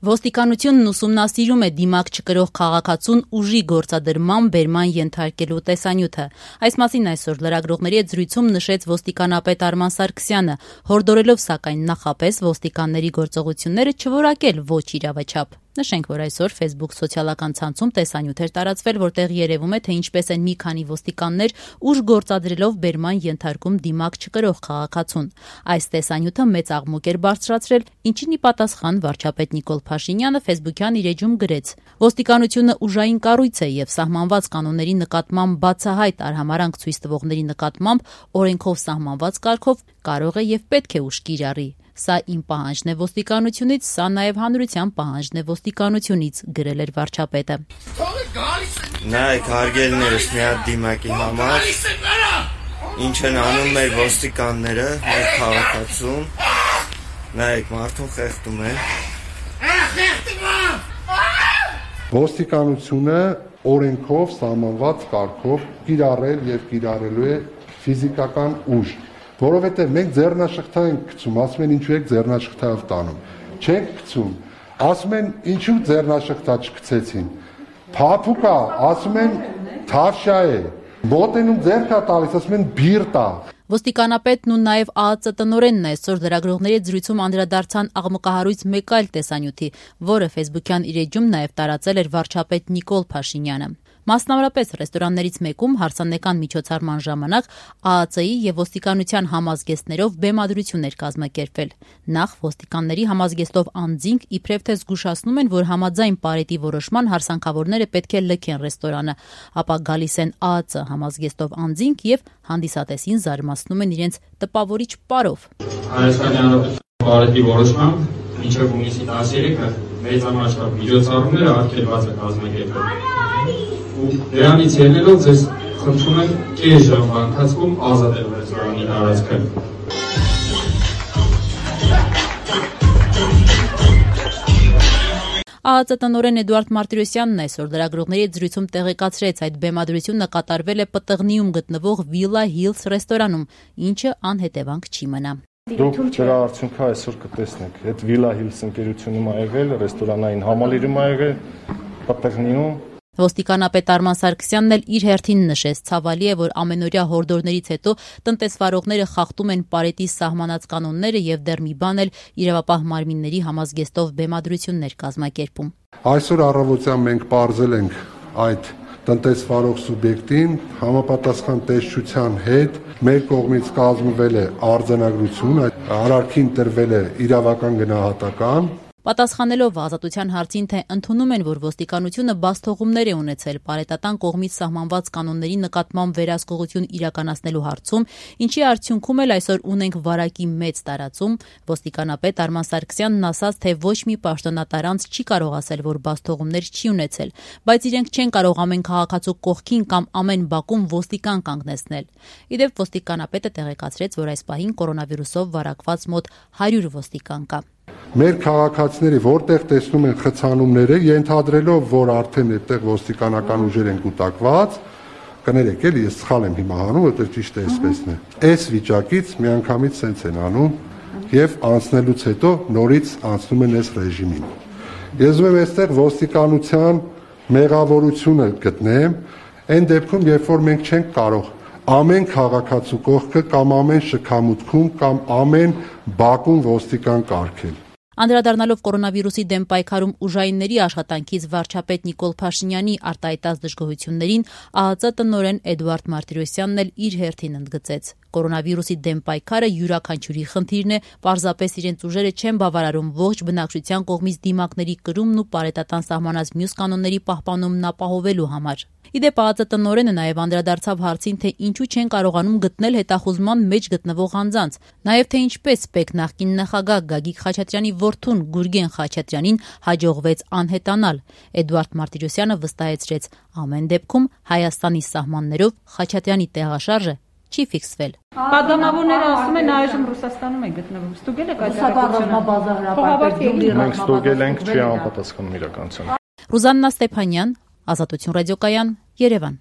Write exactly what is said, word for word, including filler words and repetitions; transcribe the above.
Ոստիկանությունն ուսումնասիրում է դիմակ չկրող քաղաքացուն ուժի գործադրման բերման ենթարկելու տեսանյութը։ Այս մասին այսօր լրագրողների հետ զրույցում նշեց ոստիկանապետ Արման Սարգսյանը, հորդորելով սակայն նախապես ոստիկանների գործողությունները չորակել ոչ իրավաչափ։ Նշենք, որ այսօր Facebook սոցիալական ցանցում տեսանյութ էր տարածվել, որտեղ երևում է, թե ինչպես են մի քանի ոստիկաններ ուժ գործադրելով բերման ենթարկում դիմակ չկրող քաղաքացուն։ Այս տեսանյութը մեծ աղմուկ էր բարձրացրել, ինչին ի պատասխան վարչապետ Նիկոլ Փաշինյանը Facebook-յան իր էջում գրեց. «Ոստիկանությունը ուժային կառույց է եւ սահմանված կանոնների նկատմամբ բացահայտ արհամարհանք ցույց տվողների նկատմամբ օրենքով սահմանված կարգով կարող է եւ պետք է ուժ կիրառի։ Սա իմ պահանջն է ոստիկանությունից, սա նաեւ հանրության պահանջն է ոստիկանությունից», գրել էր վարչապետը։ Նայեք, հարգելիներս, մի հատ դիմակի համար ինչ են անում մեր ոստիկանները, մեր քաղաքացուն, նայեք, մարդուն խեղդում են։ Ոստիկանությունը օրենքով սահմանված կարգով կիրառել եւ կիրառելու է ֆիզիկական ուժ, որովհետեւ մենք ձեռնաշխտա ենք գցում, ասում են ինչու եք ձեռնաշխտայով տանում, չենք գցում, ասում են ինչու ձեռնաշխտա չգցեցին, փափուկ է, ասում են թավշա է, մոտենում ձեռքա տալիս, ասում են բիր տա։ Ոստիկանապետն ու նաև ԱԱԾ տնօրենն այսօր լրագրողների հետ զրույցում անդրադարձան աղմկահարույց մեկ այլ տեսանյութի, որը Facebook-յան իր էջում նաև տարածել էր վարչապետ Նիկոլ Փաշինյանը։ Մասնավորապես ռեստորաններից մեկում հարսանեկան միջոցառման ժամանակ ԱԱԾ-ի եւ ոստիկանության համազգեստներով բեմադրություն էր կազմակերպվել։ Նախ ոստիկանների համազգեստով անձինք իբրև թե զգուշացնում են, որ համաձայն պարետի որոշման հարսանքավորները պետք է լքեն ռեստորանը, ապա գալիս են ԱԱԾ համազգեստով անձինք եւ հանդիսատեսին զարմացնում են իրենց տպավորիչ պարով։ Հայաստանի Հանրապետության պարետի որոշմամբ մինչև հունիսի տասներեքը մեծամասնավոր միջոցառումները արգելված է կազմակերպել։ Ու դրանից ելնելով ձեզ խնդրում եմ կես ժամվա ընթացքում ազատել ռեստորանի տարածքը։ ԱԱԾ տնօրեն Էդուարդ Մարտիրոսյանն այսօր լրագրողների հետ զրույցում տեղեկացրեց, այդ բեմադրությունը կատարվել է Պտղնիում գտնվող Villa Hills ռեստորանում, ինչը անհետևանք չի մնա։ Դուք դրա արդյունքը այսօր կտեսնեք։ Այդ Villa Hills ընկերությունում ա եղել, ռեստորանային համալիրում ա եղել, Պտղնիում։ Ոստիկանապետ Արման Սարգսյանն էլ իր հերթին նշեց, ցավալի է, որ ամենօրյա հորդորներից հետո տնտեսվարողները խախտում են պարետի սահմանած կանոնները եւ դեռ մի բան էլ իրավապահ մարմինների համազգեստով բեմադրություններ կազմակերպում։ Այսօր առավոտյան մենք պարզել ենք այդ տնտեսվարող սուբյեկտին համապատասխան տեսչության հետ մեր կողմից կազմվել է արձանագրություն, այդ արարքին տրվել է իրավական գնահատական։ Պատասխանելով ազատության հարցին, թե ընդունում են, որ ոստիկանությունը բացթողումներ է ունեցել պարետատան կողմից սահմանված կանոնների նկատմամբ վերահսկողություն իրականացնելու հարցում, ինչի արդյունքում էլ այսօր ունենք վարակի մեծ տարածում, ոստիկանապետ Արման Սարգսյանն ասաց, թե ոչ մի պաշտոնատար անձ չի կարող ասել, որ բացթողումներ չի ունեցել, բայց իրենք չեն կարող ամեն քաղաքացու կողքին կամ ամեն բակում ոստիկան կանգնեցնել։ Ի դեպ, ոստիկանապետը տեղեկացրեց, որ այս պահին կորոնավիրուսով վարակված մոտ հարյուր ոստիկան կա։ Մեր քաղաքացիների որտեղ տեսնում են խցանումները, ենթադրելով, որ արդեն այդտեղ ոստիկանական ուժեր են կուտակված, կներեք էլի, ես սխալ եմ հիմա անում, որտեղ ճիշտ է այսպեսն է։ Այս վիճակից միանգամից սենց են անում եւ անցնելուց հետո նորից անցնում են այս ռեժիմին։ Ես ուզում եմ այստեղ ոստիկանության մեղավորությունը գտնեմ, այն դեպքում, երբ որ մենք չենք կարող ամեն քաղաքացու կողքը կամ ամեն շքամուտքում կամ ամեն բակում ոստիկան կարգել։ Անդրադառնալով կորոնավիրուսի դեմ պայքարում ուժայինների աշխատանքից վարչապետ Նիկոլ Փաշինյանի արտահայտած դժգոհություններին, ԱԱԾ տնօրեն Էդուարդ Մարտիրոսյանն էլ իր հերթին ընդգծեց. Կորոնավիրուսի դեմ պայքարը յուրաքանչյուրի խնդիրն է, պարզապես իրենց ուժերը չեն բավարարում ողջ բնակչության կողմից դիմակների կրումն ու պարետատան սահմանած մյուս կանոնների պահպանումն ապահովելու համար։ Իդեպ ԱԱԾ տնօրենը նաև անդրադարձավ հարցին, թե ինչու չեն կարողանում գտնել հետախուզման մեջ գտնվող անձանց, նաև թե ինչպես ՊԵԿ նախկին նախագահ Գագիկ Խաչատրյանի որդուն Գուրգեն Խաչատրյանին հաջողվեց անհետանալ։ Էդուարդ Մարտիրոսյանը վստահեցրեց, ամեն դեպքում Հայաստանի սահմաններով Խաչատրյանի տեղաշարժը չի ֆիքսվել։ Պատգամավորները ասում են այժմ Ռուսաստանում է գտնվում։ Ստուգել եք այդ հրապարակությունը։ Մենք ստուգել ենք, չի համապատասխանում իրականությանը։ Ռուզաննա Ստեփանյան, Ազատություն ռադիոկայան, Երևան։